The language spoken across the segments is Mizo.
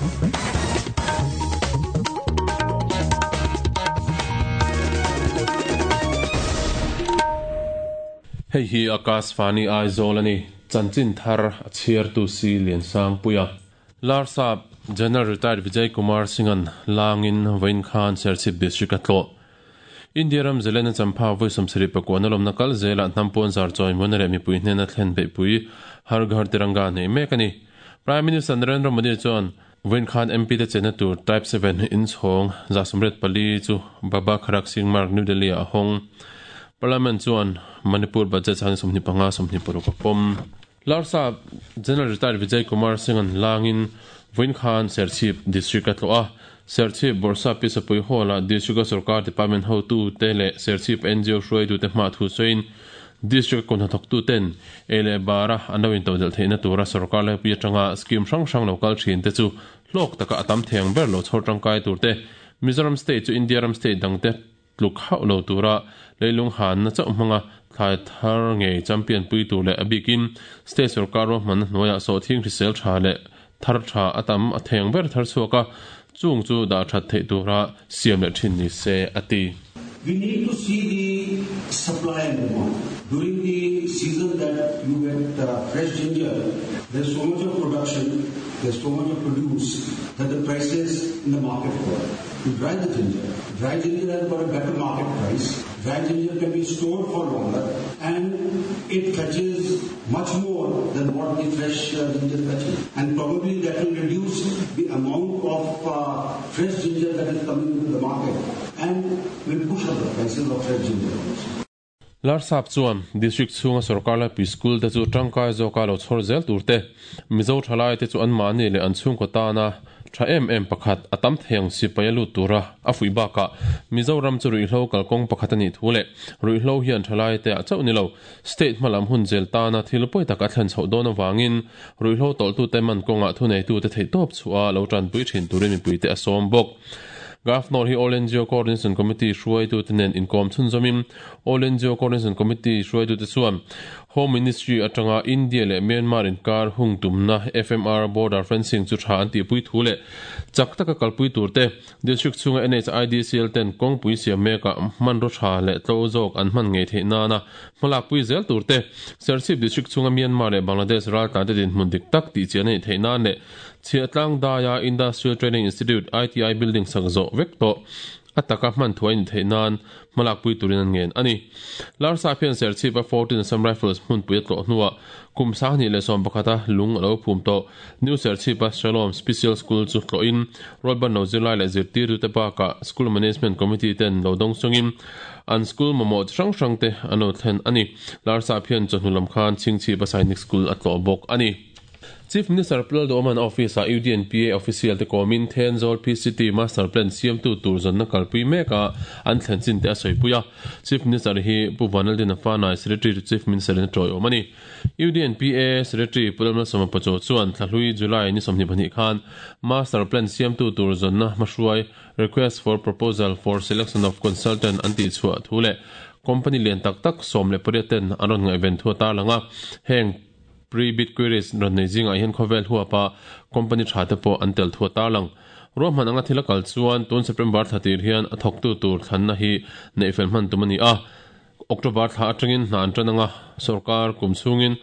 Hei hi Akashvani Aizawl a ni. Chanchin thar a chhiartu si Liansangpuia. Larsap General Retired Vijay Kumar Singh-a'n langin vawiin khan Serchhip District a tlawh. India ram Zelena champha vawi 74 lawmna kal zelah hnam pawn zar chawi muana leh mipui hnena thlen beihpui Har Ghar Tiranga nei mek a ni. Prime Minister Narendra Modi chuan vawiin khan MP te chenna tur Type 7 inchhawng 134 chu Baba Kharak Singh Marg, New Delhi ah a hawng. Parliament chuan Manipur Budget 2025, 26 a pawm. Larsap General Retired Vijay Kumar Singh-a'n langin vawiin khan Serchhip District a tlawh a. Serchhip Bawrhsap Pi Sapui Hall-ah District-a sorkar department hotute leh Serchhip ngo hruaitute hma thu sawiin District-a kut hnathawktuten ei leh bara an lo intodelh theihna tura sorkar laipui atanga scheme hrang hrang lo kal thin te chu hlawk taka a tam thei ang ber lo chhawr tangkai turte Mizoram State chu India ram state dangte tluk hauh lo tura leilung hanna chauh hmanga thlai thar ngei champion pui tur leh a bikin state sorkar ruahmanna hnuaiah sawhthing hrisel tha leh thar tha a tam a thei ang ber thar chhuak a, chung chu dah that theih tura siam leh thin ni se a ti. We need to see the supply and demand. During the season that you get fresh ginger, there's so much of production, there's so much of produce that the prices in the market fall. You dry the ginger. Dry ginger has got a better market price. Dry ginger can be stored for longer and it fetches much more than what the fresh ginger fetches. And probably that will reduce the amount of fresh ginger that is coming into the market and will push up the prices of fresh ginger also. Larsap chuan District chhunga sorkar laipui school te chu tangkai zawka lo chhawr zel tur te, Mizo thalai te chu anmahni leh an chhungkaw tana tha em em pakhat a tam thei ang sipai a lut tura a fuih bakah Mizoram chu ruihhlo kalkawng pakhat a nih thu leh ruihhlo hian thalai te ah chauh ni lo state hmalam hun zel tana thil pawi tak a thlen chhoh dawn avangin ruihhlo tawlhtute man kawngah thuneitute theihtawp chhuah a lo tanpui thin turin mipuite a sawm bawk. Governor hi All NGO Coordination Committee hruaitute nen inkawm chhunzawmin All NGO Coordination Committee hruaitute chuan Home Ministry atanga India leh Myanmar inkar hung tumna FMR border fencing chu tha an tihpui thu leh chak taka kalpui turte District chhunga NHIDCL ten kawngpui siam mekah hmanraw tha leh tlo zawk an hman ngei theih nana hmalakpui zel turte Serchhip District chhunga Myanmar leh Bangladesh raltlante dinhmun dik tak tihchian a nih theih nan leh Chhiahtlang daia Industrial Training Institute, ITI, building sak zawh vek tawh a taka hman thuai ni theih nan hmalakpui turin an ngen a ni. Larsap hian Serchhip-a 14 Assam Rifles hmunpui a tlawh hnuah kum 2011 a lung a lo phum tawh. New Serchhip-a Shalom Special School chu tlawhin Rualban lo zirlai leh zirtirtute bakah School Management Committee ten lo dawng chungin an school mamawh chi hrang hrangte an lo thlen a ni. Larsap hian chawhnu lam khan Chhingchhip-a Sainik School a tlawh bawk a ni. Chief Minister Pu Lalduhawma'n office-ah UDNPA official te kawmin Thenzawl PCT Master Plan siamtu tur zawnna kalpui meka an thlen chin te a sawipui a. Chief Minister hi Pu Vanlaldina Fanai, Secretary to Chief Minister in a tawiawm a ni. UDNPA Secretary Pu Lalmalsawma Pachaw chuan thlahlui July ni 22 khan Master Plan siamtu tur zawnna hmahruai Request for Proposal for Selection of Consultant an tihchhuah thu leh company lian tak tak 18 ten an rawn ngaihven thu a tarlang a. Heng Pre-bid queries rawn nei zingah hian khawvel huapa company tha te pawh an tel thu a tarlang. Ruahman anga thil a kal chuan tun September thla tir hian a thawktu tur thlanna hi neih fel hman tum a ni a. October thla atangin hna an tan anga sorkar kum chhungin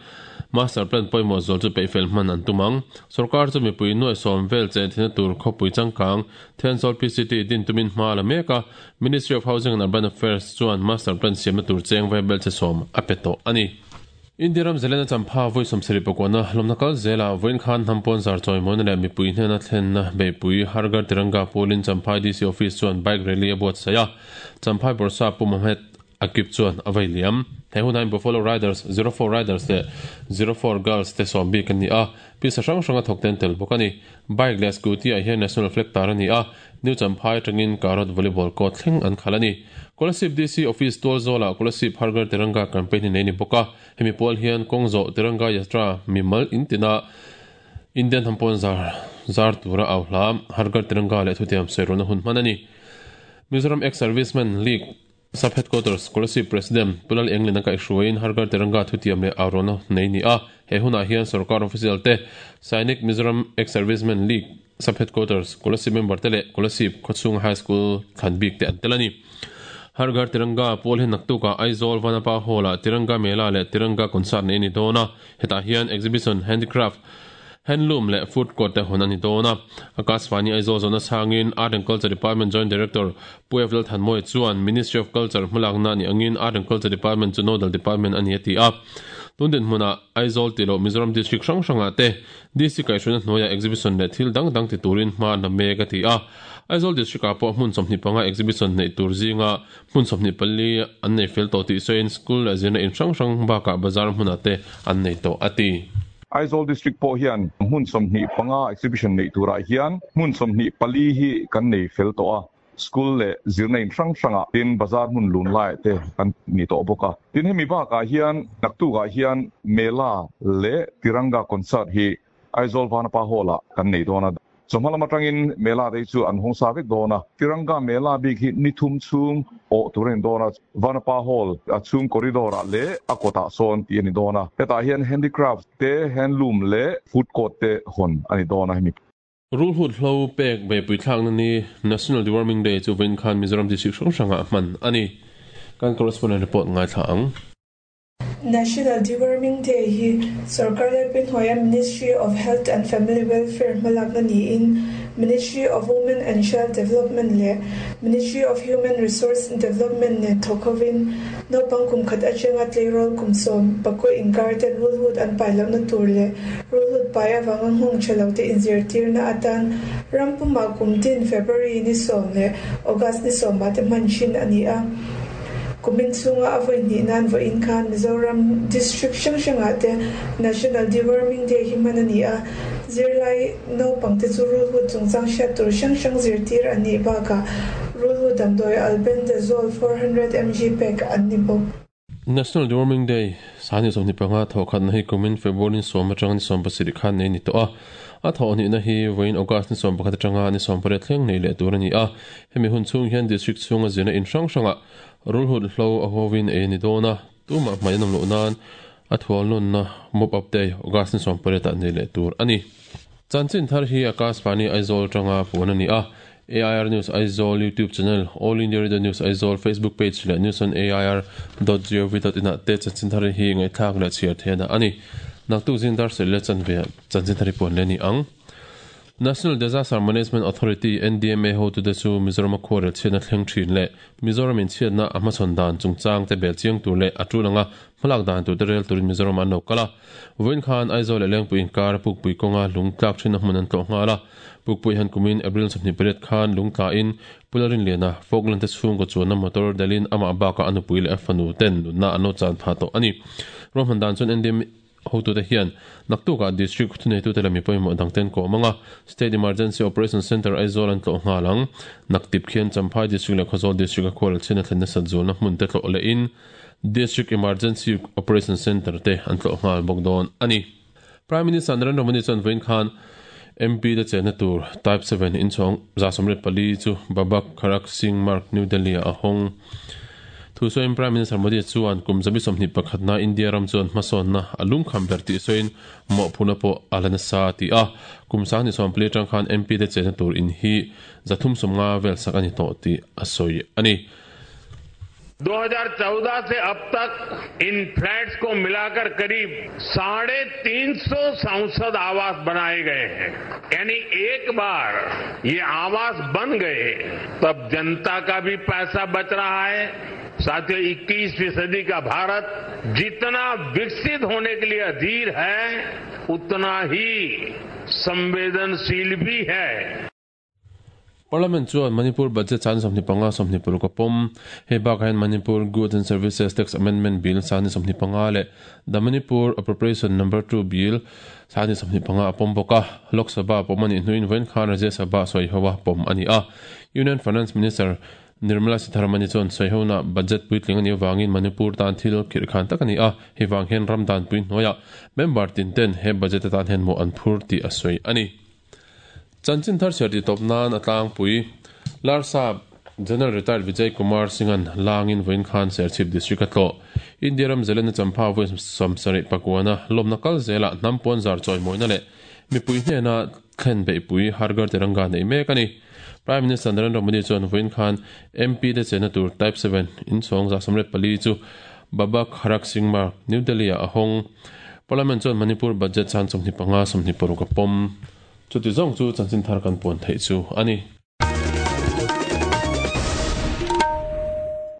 master plan pawimawh zual chu peih fel hman an tum ang. Sorkar chu mipui nuai sawm vel chen thina tur khawpui changkang Thenzawl PCT din tumin hma a la mek a, Ministry of Housing and Urban Affairs chuan master plan siamna tur cheng vaibel che sawm a pe tawh a ni. India ram Zelena champha vawi 74 hlawmna kal zelah vawiin khan hnam pawn zar chawimawina leh mipui hnena thlenna beihpui Har Ghar Tiranga pawlin Champhai DC Office chuan bike rally a buatsaih a, Champhai Bawrhsap Pu Mohamed Akib chuan a vei liam. He hunah hian Buffalo Riders, 04 Riders leh 04 Girls te sawm bik an ni a, pisa hrang hranga thawk te an tel bawk a ni. Bike leh scooty ah hian National Flag tar a ni a, New Champhai atangin Karot Volleyball court thleng an khalh a ni. Kolasib DC Office tual zawlah Kolasib Har Ghar Tiranga campaign hi nei ni bawk a, hemi pual hian kawng zawh Tiranga Yatra mimal in tina Indian hnam zar zar tura au hla Har Ghar Tiranga leh thutiam sawi rualna hun hman a ni. Mizoram Ex-Servicemen League Sub Headquarters Kolasib President Pu Lal Englin a kaihhruaiin Har Ghar Tiranga thutiam leh au rualna nei ni a, he hunah hian sorkar official te Sainik Mizoram Ex-Servicemen League. Sub Headquarters, Kolasib member te leh Kolasib khawchhung High School thlan bik te an tel a ni. Har Ghar Tiranga pawl hi naktukah Aizawl Vanapa Hall-ah Tiranga Mela leh Tiranga Concert neih a ni dawn a, hetah hian Exhibition, Handicraft, Handloom leh Food Court te hawn a ni dawn a. Akashvani Aizawl zawhna chhangin Art and Culture Department Joint Director Pu F Lalthanmawia chuan Ministry of Culture hmalakna a nih angin Art and Culture Department chu Nodal Department a ni a ti a. Tun dinhmunah Aizawl tih loh Mizoram District hrang hrangah te DC kaihhruaina hnuaiah exhibition leh thil dang dang ti turin hma an la mek a ti a. Aizawl District-ah pawh hmun 25 exhibition neih tur zinga hmun 24 an nei fel tawh tih sawiin school leh zirna in hrang hrang bakah bazar hmunah te an nei tawh a ti. Aizawl District pawh hian hmun 25 exhibition neih turah hian hmun 24 hi kan nei fel tawh a. School leh zirna in hrang hrangah tin bazar hmun lun laiah te kan ni tawh bawk a. Tin hemi bakah hian naktukah hian Mela leh Tiranga Concert hi Aizawl Vanapa Hall-ah kan nei dawn a. Chawhma lam atangin Mela te hi chu an hawng sa vek dawn a. Tiranga Mela bik hi ni thum chhung awh tur a ni dawn a. Vanapa Hall a chhung corridor-ah leh a kawtah sawn tih a ni dawn a. Hetah hian handicraft te, handloom leh food court te hawn a ni dawn a hemi. Rulhut hlo pek beihpui thlakna ni National Deworming Day chu vawiin khan Mizoram District hrang hrangah hman a ni. Kan correspondent report ngaithla ang. National Deworming Day hi sorkar laipui hnuaia Ministry of Health and Family Welfare hmalakna niin Ministry of Women and Child Development leh Ministry of Human Resource Development nen thawk hovin Naupang kum khat atanga tleirawl kum 11 inkar ten rulhut an pai lohna tur leh rulhut pai avanga nghawng tha lo te inzirtirna atan ram pumah kum tin February ni sawm leh August ni sawmah te hman thin a ni a. Kumin chhunga a vawi hnih nan vawiin khan Mizoram District hrang hrangah te National Deworming Day hi hman a ni a, zirlai naupangte chu rulhut chungchang hriat tur hrang hrang zirtir an nih bakah Rulhu damdawi Albendazole 400 mg pek an ni bawk. National Deworming Day, Sani 25 thawhkhatna hi kumin February ni sawm atanga ni 17 khan nei a ni tawh a. A thawhhnihna hi vawiin August ni 11 atanga ni 18 thleng nei leh tur a ni a. Hemi hun chhung hian District chhunga zirna in hrang hrangah rulhut hlo a huavin ei a ni dawn a. Tumah hmai an awm loh nan a thualnawnna Mop Up Day, August ni 18 ah nei leh tur a ni. Chanchin thar hi Akashvani Aizawl atanga puan a ni a. AIR News Aizawl YouTube channel, All India Radio News Aizawl Facebook page leh News on AIR dot gov dot in ah te chanchin thar hi ngaihthlak leh chhiar theih a dah a ni. Naktuk zing dar serh leh chanve ah chanchin thar hi puan leh a ni ang. National Disaster Management Authority, NDMA, hotute chu Mizoram a khuarel chhiatna thleng thin leh Mizoram in chhiatna a hmachhawn dan chungchang te bel chiang tur leh a tul anga hmalak dan tur te rel turin Mizoram an lo kal a. Vawiin khan Aizawl leh Lengpui inkar a Pukpui kawnga lung tlak thinna hmun an tlawh nghal a. Pukpui han kumin April 28 khan lungtlain Pu Lalrinliana, Falkland te chhungkaw chuanna motor delin amah bakah a nupui leh a fanu ten nunna an lo chan phah tawh a ni. Ruahman dan chuan NDM hotute hian naktukah District thuneitute leh mi pawimawh dang ten kawm anga State Emergency Operation Centre Aizawl an tlawh nghal ang. Naktip khian Champhai District leh Khawzawl District a khual chhiatna thlen nasat zualna hmun te tlawh lehin District Emergency Operation Centre te an tlawh nghal bawk dawn a ni. Prime Minister Narendra Modi chuan vawiin khan MP te chenna tur Type 7 inchhawng 124 chu Baba Kharak Singh Marg, New Delhi ah a hawng. Thu sawiin Prime Minister Modi chuan kum 21 na India ram chuan hmasawnna a lungkham ber tih sawiin mawhphurhna pawh a la nasa a ti a. Kum 2024 atang khan MP te chenna tur in hi 350 vel sak a ni tawh tih a sawi a ni. 2014 से अब तक इन flats को मिलाकर करीब 350 सांसद आवास बनाए गए हैं यानी एक बार ये आवास बन गए तब जनता का भी पैसा बच रहा है साथियों 21वीं सदी का भारत जितना विकसित होने के लिए अधीर है उतना ही संवेदनशील भी है Parliament chuan Manipur Budget san 25 26 a pawm. Hei bakah hian Manipur Goods and Services Tax Amendment Bill san 25 leh The Manipur Appropriation Number Two Bill san 25 a pawm bawk a. Lok Sabha pawm a nih hnuin vawiin khan Rajya Sabha sawi ho a pawm a ni a. Union Finance Minister Nirmala Sitharaman-i chuan sawi hona budget puitling a nih avangin Manipur tan thil khirh khan tak a ni a, hei vang hian ram danpui hnuaiah member tin ten he budget atan hian mawh an phur tih a sawi a ni. Chanchin thar chhiar tih tawp nan a tlangpui Larsap General Retired Vijay Kumar Singh-a'n langin vawiin khan Serchhip District a tlawh. India ram Zelena Champha vawi 78 lawmna kal zelah hnam puan zar chawimawina leh Mipui hnena thlen beihpui Har Ghar Tiranga neih mek a ni. Prime Minister Narendra Modi chuan vawiin khan MP te chenna tur Type 7 inchhawng 144 chu Baba Kharak Singh Marg, New Delhi ah a hawng. Parliament chuan Manipur Budget chan 25 26 a pawm. Chuti zawng chu chanchin thar kan puan theih chu a ni.